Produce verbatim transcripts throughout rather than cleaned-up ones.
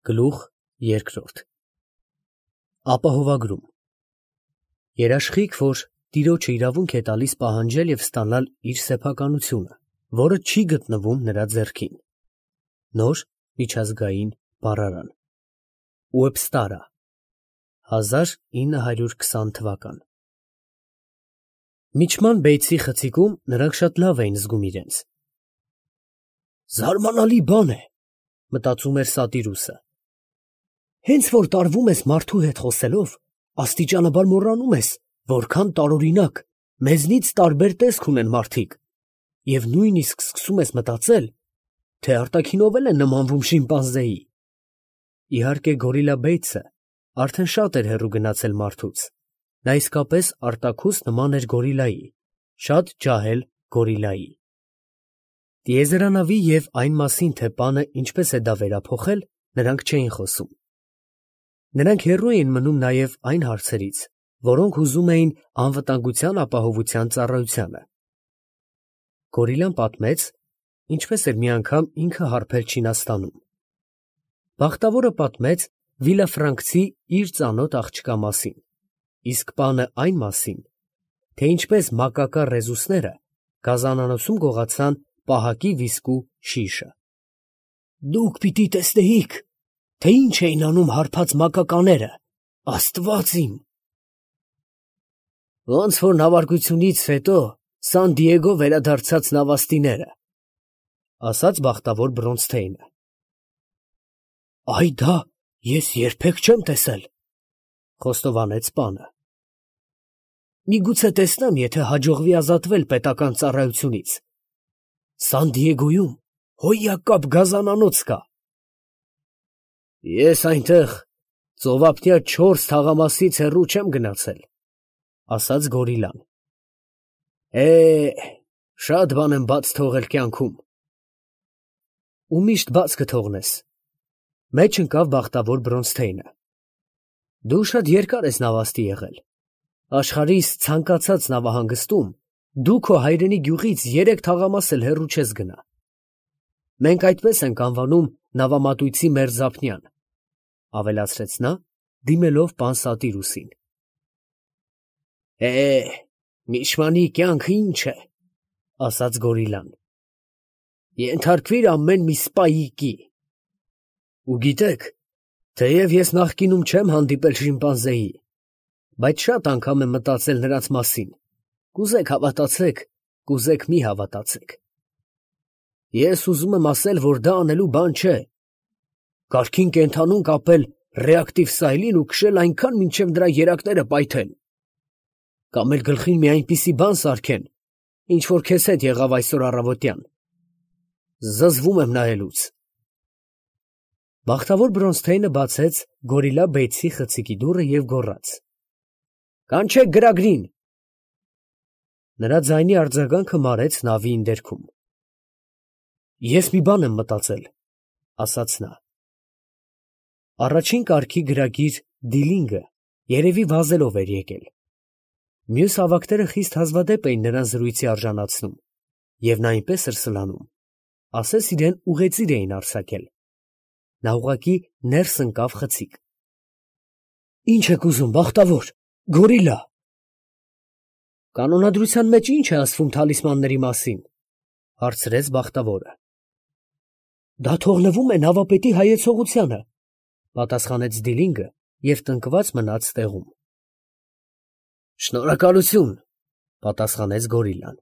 Գլուխ երկրորդ Ապահովագրում Երաշխիք, որ տիրոջը իրավունք է տալիս պահանջել և ստանալ իր սեփականությունը, որը չի գտնվում նրա ձեռքին։ Նոր միջազգային բառարան Ուեբստարա հազար ինը հարյուր քսան թվական Միջման բեյցի խցիկում նրանք շատ լավ էին զգում իրենց։ Զարմանալի բան է, մտածում էր Սատիրուսը։ Հենց որ տարվում ես մարդու հետ խոսելով, աստիճանաբար մոռանում ես, որքան տարօրինակ, մեզնից տարբեր տեսք ունեն մարդիկ, և նույնիսկ սկսում ես մտածել, թե արտաքինով էլ են նմանվում շիմպանզեի։ Իհարկե գորիլա Բեյցը արդեն շատ էր հեռու գնացել մարդուց, նա իսկապես արտաքուստ նման էր գորիլայի, շատ ջահել գորիլայի։ Տիեզերանավի և այն մասին, թե պանը ինչպես է դա վերափոխել, նրանք չէին խոսում։ Նրանք հեռու էին մնում նաև այն հարցերից, որոնք հուզում էին անվտանգության ապահովության ծառայությանը։ Գորիլան պատմեց, ինչպես էր մի անգամ ինքը հարբել Չինաստանում։ Բախտավորը պատմեց վիլաֆրանկցի իր ծանոթ աղջկա մասին, իսկ պանը այն մասին, թե ինչպես մակակա ռեզուսները գազանանոցում գողացան պահակի վիսկու շիշը։ Դուք պիտի տեսնեիք, թե ինչ էին անում հարբած մակակաները, աստված իմ։ Ոնց որ նավարկությունից հետո Սան Դիեգո վերադարձած նավաստիները, ասաց բախտավոր Բրոնզթեյնը։ Այ դա ես երբեք չեմ տեսել, խոստովանեց պանը։ Միգուցե տեսնեմ, եթե հաջողվի ազատվել պետական ծառայությունից։ Սան Դիեգոյում հոյակապ գազանանոց կա։ Ես այնտեղ ծովափնյա չորս թաղամասից հեռու չեմ գնացել, ասաց գորիլան։ Է, շատ բան եմ բաց թողել կյանքում։ Ու միշտ բաց կթողնես, մեջ ընկավ բախտավոր Բրոնզթեյնը։ Դու շատ երկար ես նավաստի եղել։ Աշխարհիս ցանկացած նավահանգստում դու քո հայրենի գյուղից երեք թաղամաս էլ հեռու չես գնա։ Մենք այդպես ենք անվանում նավամատույցի մերձափնյան, ավելացրեց նա, դիմելով պան Սատիրուսին։ Է, միշմանի կյանքը ինչ է, ասաց գորիլան։ Ենթարկվիր ամեն մի սպայիկի։ Ու գիտեք, թեև ես նախկինում չեմ հանդիպել շիմպանզեի, բայց շատ անգամ եմ մտածել նրանց մասին, կուզեք հավատացեք, կուզեք մի հավատացեք։ Ես ուզում եմ ասել, որ դա անելու բան չէ։ Կարգին կենդանուն կապել ռեակտիվ սայլին ու քշել այնքան, մինչև նրա երակները պայթեն։ Կամ էլ գլխին մի այնպիսի բան սարքեն, ինչ որ քեզ հետ եղավ այսօր առավոտյան։ Զզվում եմ նայելուց։ Բախտավոր Բրոնզթեյնը բացեց գորիլա Բեյցի խցիկի դուռը և գոռաց. Կանչեք գրագրին։ Նրա ձայնի արձագանքը մարեց նավի ինդերքում։ Ես մի բան եմ մտածել, ասաց նա։ Առաջին կարգի գրագիր Դիլինգը երևի վազելով էր եկել։ Մյուս հավաքները խիստ հազվադեպ էին նրան զրույցի արժանացնում, և նա այնպես էր սլանում, ասես իրեն ուղեծիր էին արձակել։ Նա ուղղակի ներս ընկավ խցիկ։ Ինչ եք ուզում, բախտավոր, գորիլա։ Կանոնադրության մեջ ինչ է ասվում թալիսմանների մասին, հարցրեց բախտավորը։ Դա թողնվում է նավապետի հայեցողությանը, պատասխանեց Դիլինգը և տնկված մնաց տեղում։ Շնորհակալություն, պատասխանեց գորիլան։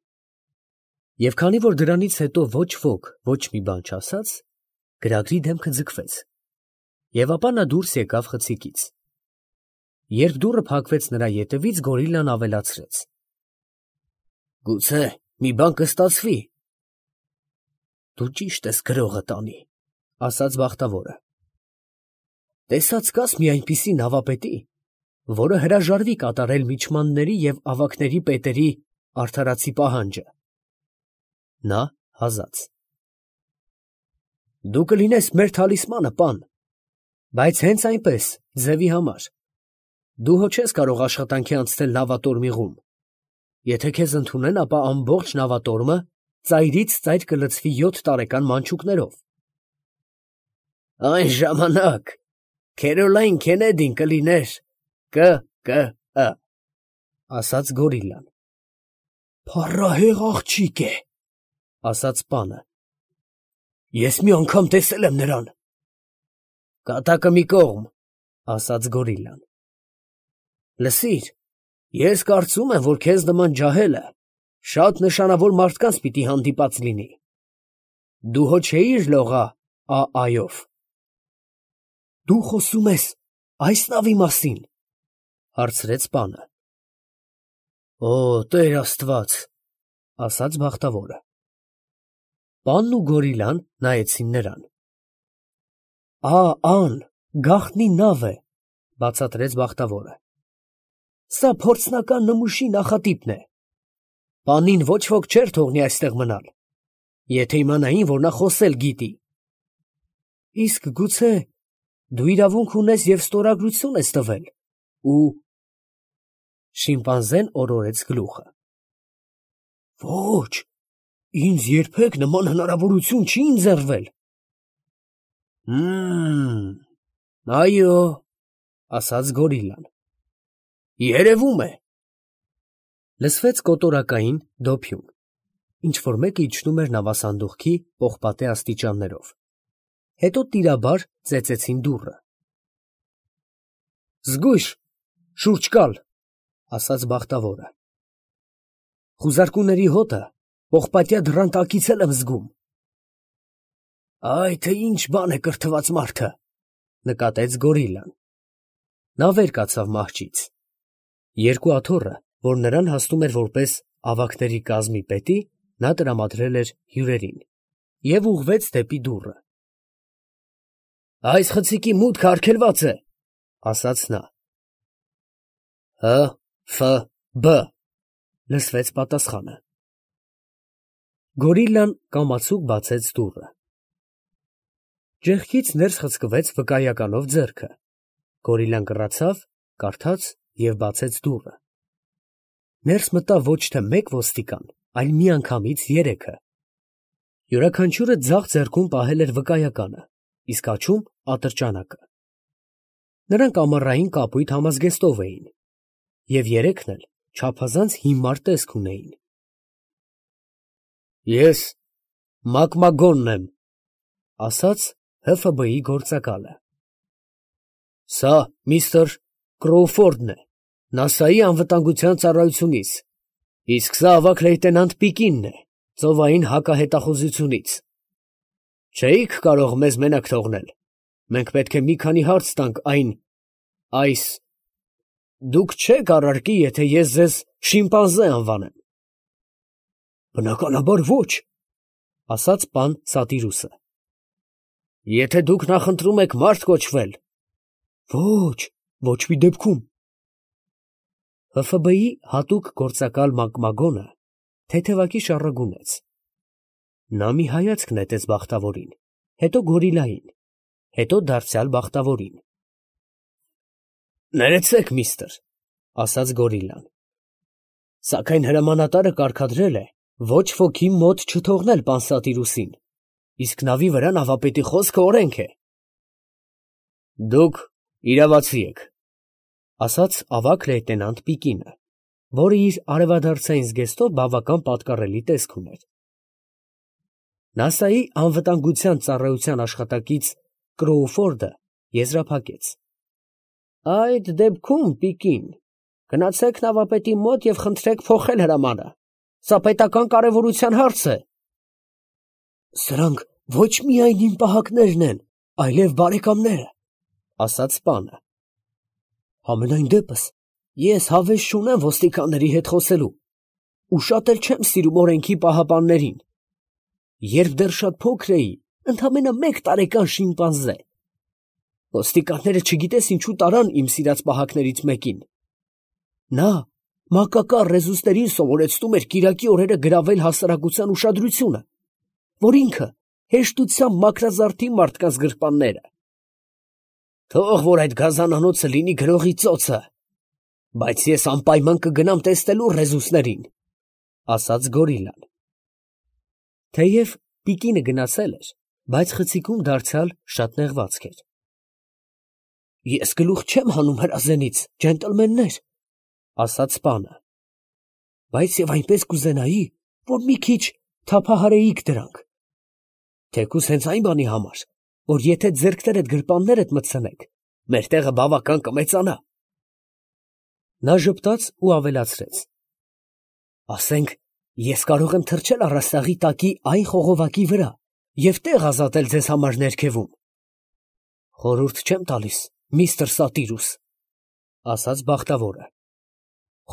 Եվ քանի որ դրանից հետո ոչ ոք ոչ մի բան չասաց, գրագրի դեմքը ձգվեց, և ապա նա դուրս եկավ խցիկից։ Երբ դուռը փակվեց նրա ետևից, գորիլան ավելացրեց. Գուցե մի բան կստացվի։ Դու ճիշտ ես գրողը տանի, ասաց բախտավորը։ Տեսած կաս մի այնպիսի նավապետի, որը հրաժարվի կատարել միջմանների և ավագների պետերի արդարացի պահանջը։ Նա հազաց։ Դու կլինես մեր թալիսմանը, պան, բայց հենց այնպես, ձևի համար։ Դու հո չես կարող աշխատանքի անցնել նավատորմիղում։ Եթե քեզ ընդունեն, ապա ամբողջ նավատորմը ծայրից ծայր կլցվի յոթ տարեկան մանչուկներով։ Այն ժամանակ Քերոլայն Քենեդին կլիներ Կ Կ Ը, ասաց գորիլան։ Փառահեղ աղջիկ է, ասաց պանը։ Ես մի անգամ տեսել եմ նրան։ Կատակը մի կողմ, ասաց գորիլան։ Լսիր, ես կարծում եմ, որ քեզ նման ջահելը շատ նշանավոր մարդկանց պիտի հանդիպած լինի։ Դու հո չէիր լողա ա այով։ Դու խոսում ես այս նավի մասին, հարցրեց պանը։ Օ, Տեր Աստված, ասաց բախտավորը։ Պանն ու գորիլան նայեցին նրան։ Ա, ան, գաղտնի նավ է, բացատրեց բախտավորը։ Սա փորձնական նմուշի նախատիպն է։ Պանին ոչ ոք չէր թողնի այստեղ մնալ, եթե իմանային, որ նա խոսել գիտի։ Իսկ գուցե դու իրավունք ունես և ստորագրություն ես տվել, ու… Շիմպանզեն օրորեց գլուխը։ Ոչ, ինձ երբեք նման հնարավորություն չի ընձեռվել։ Հմ, այո, ասաց գորիլան։ Երևում է։ Լսվեց կոտորակային դոփյուն, ինչ-որ մեկը իջնում էր նավասանդուղքի պողպատե աստիճաններով։ Հետո տիրաբար ծեծեցին դուռը։ Զգույշ, շուրջ կալ, ասաց բախտավորը։ Խուզարկուների հոտը պողպատյա դռան տակից էլ եմ զգում։ Այ թե ինչ բան է կրթված մարդը, նկատեց գորիլան։ Նա վեր կացավ մահճից։ Երկու աթոռը, որ նրան հասնում էր որպես ավագների կազմի պետի, նա տրամադրել էր հյուրերին և ուղղվեց դեպի դուռը։ Այս խցիկի մուտքը արգելված է, ասաց նա։ Հ, Ֆ, Բ, լսվեց պատասխանը։ Գորիլան կամացուկ բացեց դուռը։ Ճեղքից ներս խցկվեց վկայականով ձեռքը։ Գորիլան կռացավ, կարդաց և բացեց դուռը։ Ներս մտավ ոչ թե մեկ ոստիկան, այլ միանգամից երեքը։ Յուրաքանչյուրը ձախ ձեռքում պահել էր վկայականը, իսկ աջում ատրճանակը։ Նրանք ամառային կապույտ համազգեստով էին, և երեքն էլ չափազանց հիմար տեսք ունեին։ Ես Մակմագոնն եմ, ասաց Հ Ֆ B-ի գործակալը։ Սա միստր Կրոուֆորդն է, նասայի անվտանգության ծառայությունից, իսկ սա ավագ լեյտենանտ Պիկինն է, ծովային հակահետախուզությունից։ Չէիք կարող մեզ մենակ թողնել, մենք պետք է մի քանի հարց տանք այն… այս… Դուք չեք առարկի, եթե ես ձեզ շիմպանզե անվանեմ։ Բնականաբար ոչ, ասաց պան Սատիրուսը։ Եթե դուք նախընտրում եք մարդ կոչվել… Ոչ, ոչ մի դեպքում։ Հ Ֆ B-ի հատուկ գործակալ Մակմագոնը թեթևակի շառագունեց։ Նա մի հայացք նետեց բախտավորին, հետո գորիլային, հետո դարձյալ բախտավորին։ Ներեցեք, միստր, ասաց գորիլան, սակայն հրամանատարը կարգադրել է ոչ ոքի մոտ չթողնել պան Սատիրուսին, իսկ նավի վրա նավապետի խոսքը օրենք է։ Դուք իրավացի եք, ասաց ավագ լեյտենանտ Պիկինը, որը իր արևադարձային զգեստով բավական պատկառելի տեսք ուներ։ նասայի անվտանգության ծառայության աշխատակից Կրոուֆորդը եզրափակեց. Այդ դեպքում, Պիկին, գնացեք նավապետի մոտ և խնդրեք փոխել հրամանը, սա պետական կարևորության հարց է։ Սրանք ոչ միայն իմ պահակներն են, այլև բարեկամները, ասաց պանը։ Համենայն դեպս, ես հավես չունեմ ոստիկանների հետ խոսելու, ու շատ էլ չեմ սիրում օրենքի պահապաններին։ Երբ դեռ շատ փոքր էի, ընդամենը մեկ տարեկան շիմպանզե, ոստիկանները չգիտես ինչու տարան իմ սիրած պահակներից մեկին։ Նա մակակար ռեզուստերին սովորեցնում էր կիրակի օրերը գրավել հասարակության ուշադրությունը, որ ինքը հեշտությամբ մաքրազարդի մարդկանց գրպանները։ Թող որ այդ գազանանոցը լինի գրողի ծոցը, բայց ես անպայման կգնամ տեսնելու ռեզուսներին, ասաց գորիլան։ Թեև Պիկինը գնացել էր, բայց խցիկում դարձյալ շատ նեղվածք էր։ Ես գլուխ չեմ հանում հրազենից, ջենտլմեններ, ասաց պանը, բայց և այնպես կուզենայի, որ մի քիչ թափահարեիք դրանք, թեկուզ հենց այն բանի համար, որ եթե ձեռքներդ գրպաններդ մտցնեք, մեր տեղը բավական կմեծանա։ Նա ժպտաց ու ավելացրեց. ասենք, ես կարող եմ թռչել առաստաղի տակի այն խողովակի վրա և տեղ ազատել ձեզ համար ներքևում։ Խորհուրդ չեմ տալիս, միստր Սատիրուս, ասաց բախտավորը,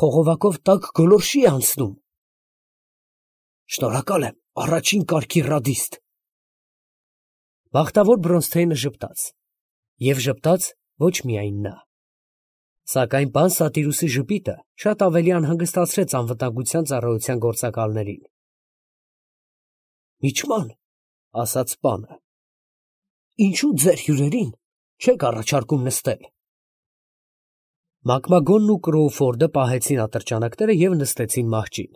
խողովակով տակ գոլորշի է անցնում։ Շնորհակալ եմ, առաջին կարգի ռադիստ։ Բախտավոր Բրոնսթեյնը ժպտաց, և ժպտաց ոչ միայն նա, սակայն պան Սատիրուսի ժպիտը շատ ավելի անհանգստացրեց անվտանգության ծառայության գործակալներին։ Միչման, ասաց պանը, ինչու ձեր հյուրերին չեք առաջարկում նստել։ Մակմագոնն ու Կրոուֆորդը պահեցին ատրճանակները և նստեցին մահճին։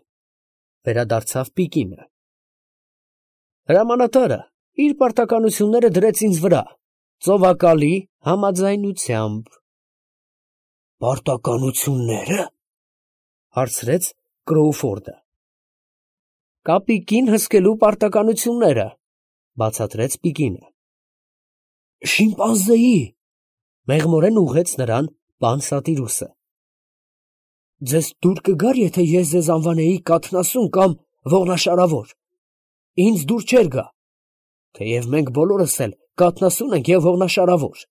Վերադարձավ Պիկինը։ Հրամանատարը իր պարտականությունները դրեց ինձ վրա, ծովակալի համաձայնությամբ։ Պարտականություննե՞րը, հարցրեց Կրոուֆորդը։ Կապիկին հսկելու պարտականությունները, բացատրեց Պիկինը։ Շիմպանզեի, մեղմորեն ուղղեց նրան պան Սատիրուսը։ Ձեզ դուր կգար, եթե ես ձեզ անվանեի կաթնասուն կամ ողնաշարավոր։ Ինձ դուր չէր գա, թեև մենք բոլորս էլ կաթնասուն ենք և ողնաշարավոր։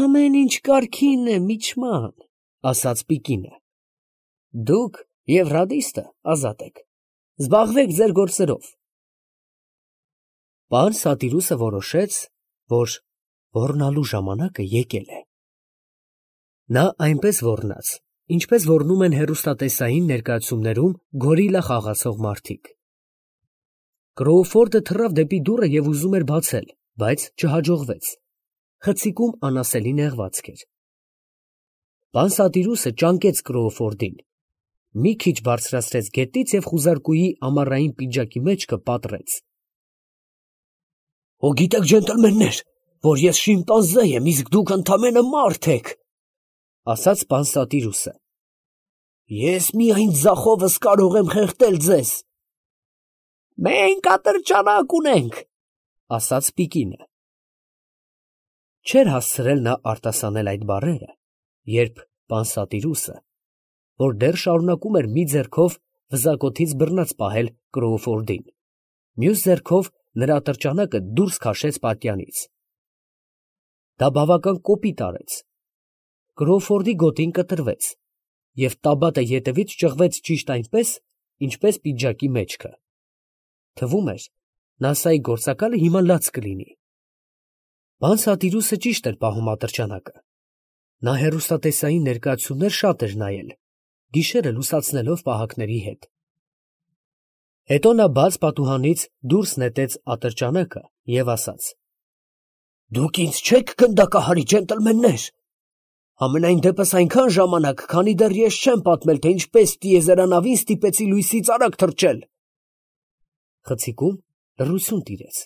Ամեն ինչ կարգին է, միչման, ասաց Պիկինը։ Դուք և ռադիստը ազատ եք, զբաղվեք ձեր գործերով։ Պան Սատիրուսը որոշեց, որ ոռնալու ժամանակը եկել է։ Նա այնպես ոռնաց, ինչպես ոռնում են հեռուստատեսային ներկայացումներում գորիլա խաղացող մարդիկ։ Կրոուֆորդը թռավ դեպի դուռը և ուզում էր բացել, բայց չհաջողվեց։ Խցիկում անասելի նեղվածք էր։ Պան Սատիրուսը ճանկեց Կրոուֆորդին, մի քիչ բարձրացրեց գետից և խուզարկուի ամառային պիջակի մեջքը պատռեց։ Հո գիտեք, ջենտլմեններ, որ ես շիմպանզե եմ, իսկ դուք ընդամենը մարդ եք, ասաց պան Սատիրուսը։ Ես միայն ձախովս կարող եմ խեղդել ձեզ։ Մենք ատրճանակ ունենք, ասաց Պիկինը։ Չէր հասցրել նա արտասանել այդ բառերը, երբ պան Սատիրուսը, որ դեռ շարունակում էր մի ձեռքով վզակոթից բռնած պահել Կրոուֆորդին, մյուս ձեռքով նրա ատրճանակը դուրս քաշեց պատյանից։ Դա բավական կոպիտ արեց։ Կրոուֆորդի գոտին կտրվեց, և տաբատը ետևից ճղվեց ճիշտ այնպես, ինչպես պիջակի մեջքը։ Թվում էր, նասայի գործակալը հիմա լաց կլինի։ Պան Սատիրուսը ճիշտ էր պահում ատրճանակը։ Նա հեռուստատեսային ներկայացումներ շատ էր նայել, գիշերը լուսացնելով պահակների հետ։ Հետո նա բաց պատուհանից դուրս նետեց ատրճանակը և ասաց. Դուք ինձ չեք գնդակահարի, ջենտլմեններ, համենայն դեպս այնքան ժամանակ, քանի դեռ ես չեմ պատմել, թե ինչպես տիեզերանավին ստիպեցի լույսից արագ թռչել։ Խցիկում լռություն տիրեց։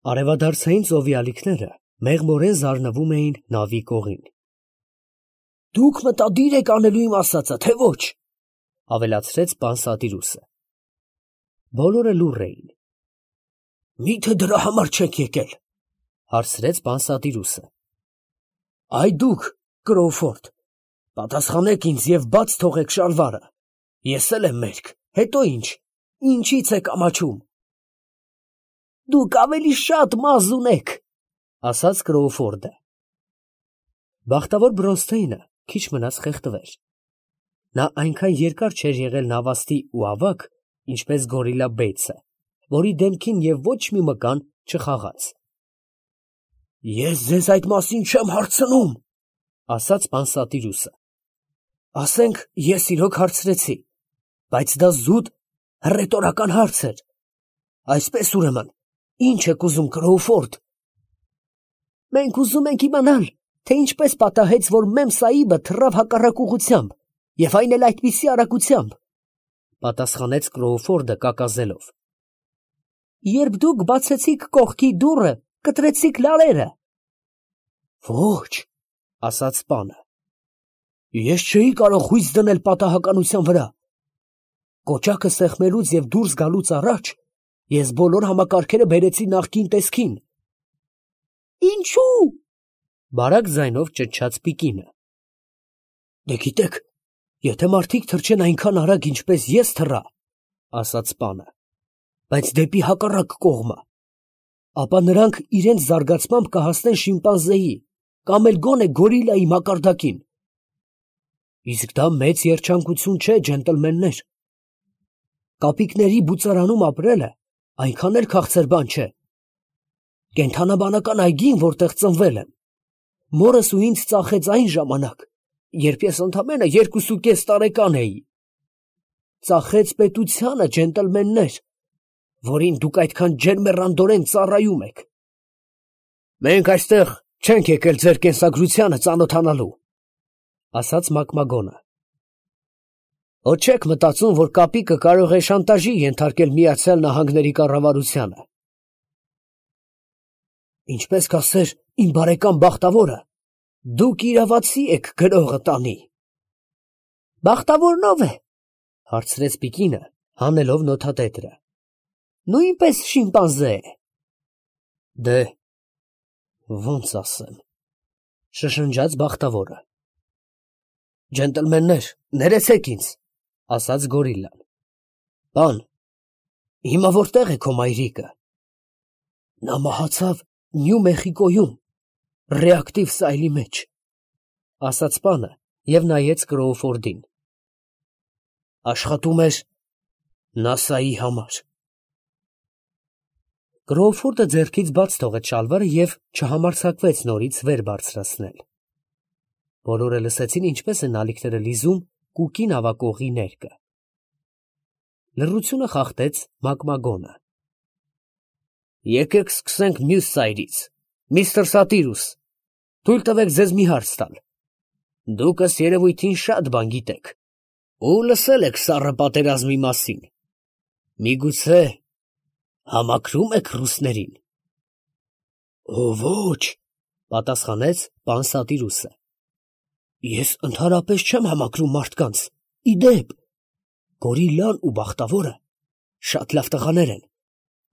Արևադարձային ծովի ալիքները մեղմորեն զարնվում էին նավի կողին։ Դուք մտադիր եք անելու իմ ասածը, թե ոչ, ավելացրեց պան Սատիրուսը։ Բոլորը լուռ էին։ Մի՞թե դրա համար չեք եկել, հարցրեց պան Սատիրուսը։ Այ դուք, Կրոուֆորդ, պատասխանեք ինձ և բաց թողեք շալվարը։ Ես էլ եմ մերկ, հետո ինչ, ինչից եք ամաչում։ Դուք ավելի շատ մազ ունեք, ասաց Կրոուֆորդը։ Բախտավոր Բրոնսթեյնը քիչ մնաց խեղդվեր։ Նա այնքան երկար չէր եղել նավաստի ու ավագ, ինչպես գորիլա Բեյցը, որի դեմքին և ոչ մի մկան չխաղաց։ Ես ձեզ այդ մասին չեմ հարցնում, ասաց պան Սատիրուսը։ Ասենք, ես իրոք հարցրեցի, բայց դա զուտ հռետորական հարց էր։ Այսպես ուրեմն, ինչ եք ուզում, Կրոուֆորդ։ Մենք ուզում ենք իմանալ, թե ինչպես պատահեց, որ Մեմ Սահիբը թռավ հակառակ ուղղությամբ, և այն էլ այդպիսի արագությամբ, պատասխանեց Կրոուֆորդը կակազելով։ երբ դուք բացեցիք կողքի դուռը, կտրեցիք լարերը։ Ոչ, ասաց պանը, ես չէի կարող հույս դնել պատահականության վրա։ Կոճակը սեղմելուց և դուրս գալուց առաջ ես բոլոր համակարգերը բերեցի նախկին տեսքին։ Ինչու՞։ Բարակ ձայնով ճչաց Պիկինը։ Դե գիտեք, եթե մարդիկ թռչեն այնքան արագ, ինչպես ես թռա, ասաց պանը, բայց դեպի հակառակ կողմը, ապա նրանք իրենց զարգացմամբ կհասնեն շիմպանզեի կամ էլ գոնե գորիլայի մակարդակին։ Իսկ դա մեծ երջանկություն չէ, ջենտլմեններ։ Կապիկների բուծարանում ապրելը այնքան էլ քաղցր բան չէ։ Կենդանաբանական այգին, որտեղ ծնվել եմ, մորս ու ինձ ծախեց այն ժամանակ, երբ ես ընդամենը երկուսուկես տարեկան էի։ Ծախեց պետությանը, ջենտլմեններ, որին դուք այդքան ջերմեռանդորեն ծառայում եք։ Մենք այստեղ չենք եկել ձեր կենսագրությանը ծանոթանալու, ասաց Մակմագոնը։ Ոչ չեք մտածում, որ կապիկը կարող է շանտաժի ենթարկել Միացյալ Նահանգների կառավարությանը։ Ինչպես կասեր իմ բարեկամ Բախտավորը, դուք իրավացի եք գրողը տանի։ Բախտավորն ով է, հարցրեց Պիկինը, հանելով նոթատետրը։ Նույնպես շիմպանզե է։ Դե, ոնց ասեմ, շշնջաց Բախտավորը։ Ջենտլմեններ, ներեցեք ինձ, ասաց գորիլլան։ Բան, հիմա որտեղ է քո մայրիկը։ Նա մահացավ Նյու Մեխիկոյում, ռեակտիվ սայլի մեջ, ասաց պանը և նայեց Կրոուֆորդին։ Աշխատում էր նասայի համար։ Կրոուֆորդը ձեռքից բաց թողեց շալվարը և չհամարձակվեց նորից վեր բարձրացնել։ Բոլորը լսեցին ինչպես են ալիքները լիզում կուկի նավակողի ներկը։ Լռությունը խախտեց Մակմագոնը։ Եկեք սկսենք մյուս սայրից, միստր Սատիրուս, թույլ տվեք ձեզ մի հարց տալ։ Դուք ըստ երևույթին շատ բան գիտեք ու լսել եք սառը պատերազմի մասին։ Միգուցե համակրում եք ռուսներին։ Օ ոչ, պատասխանեց պան Սատիրուսը։ Ես ընդհանրապես չեմ համակրում մարդկանց, իդեպ, գորիլլան ու Բախտավորը շատ լավ տղաներ են,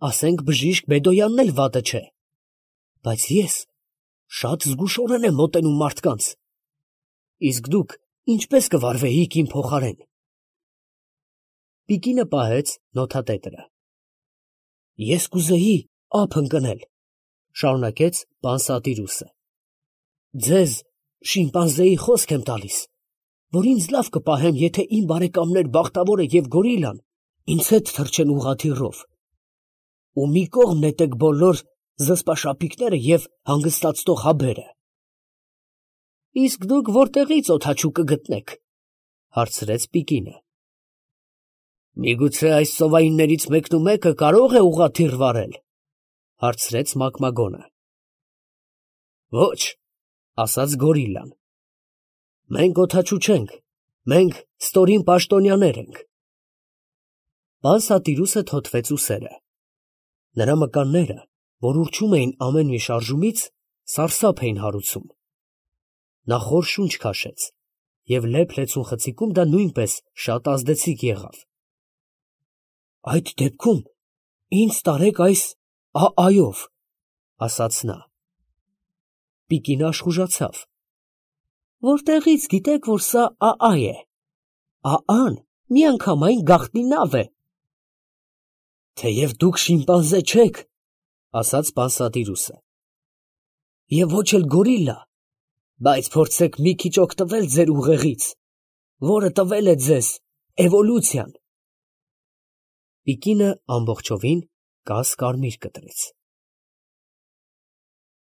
ասենք բժիշկ Բեդոյանն էլ վատը չէ, բայց ես շատ զգուշորեն եմ մոտենում մարդկանց, իսկ դուք ինչպես կվարվեիք իմ փոխարեն։ Պիկինը պահեց նոթատետրը։ Ես կուզեի ափ ընկնել, շարունակեց պան Սատիրուսը։ Ձեզ շիմպանզեի խոսք եմ տալիս, որ ինձ լավ կպահեմ, եթե իմ բարեկամներ Բախտավորը և գորիլլան ինձ հետ թռչեն ուղղաթիռով, ու մի կողմ նետեք բոլոր զսպաշապիկները և հանգստացնող հաբերը։ Իսկ դուք որտեղից օդաչու կգտնեք, հարցրեց Պիկինը։ Միգուցե այս ծովայիններից մեկն ու մեկը կարող է ուղղաթիռ վարել, հարցրեց Մակմագոնը։ Ոչ, ասաց գորիլլան։ Մենք օդաչու չենք, մենք ստորին պաշտոնյաներ ենք։ Պան Սատիրուսը թոթվեց ուսերը։ Նրա մկանները, որ ուռչում էին ամեն մի շարժումից, սարսափ էին հարուցում։ Նա խոր շունչ քաշեց, և լեփ-լեցուն խցիկում դա նույնպես շատ ազդեցիկ եղավ։ Այդ դեպքում ինձ տարեք այս ա֊այով, ասաց նա։ Պիկինը աշխուժացավ։ Որտեղից գիտեք, որ սա ա֊այ է։ Ա֊ան միանգամայն գաղտնի նավ է։ Թեև դուք շիմպանզե չեք, ասաց պան Սատիրուսը, և ոչ էլ գորիլլա, բայց փորձեք մի քիչ օգտվել ձեր ուղեղից, որը տվել է ձեզ էվոլյուցիան։ Պիկինը ամբողջովին կաս կարմիր կտրեց։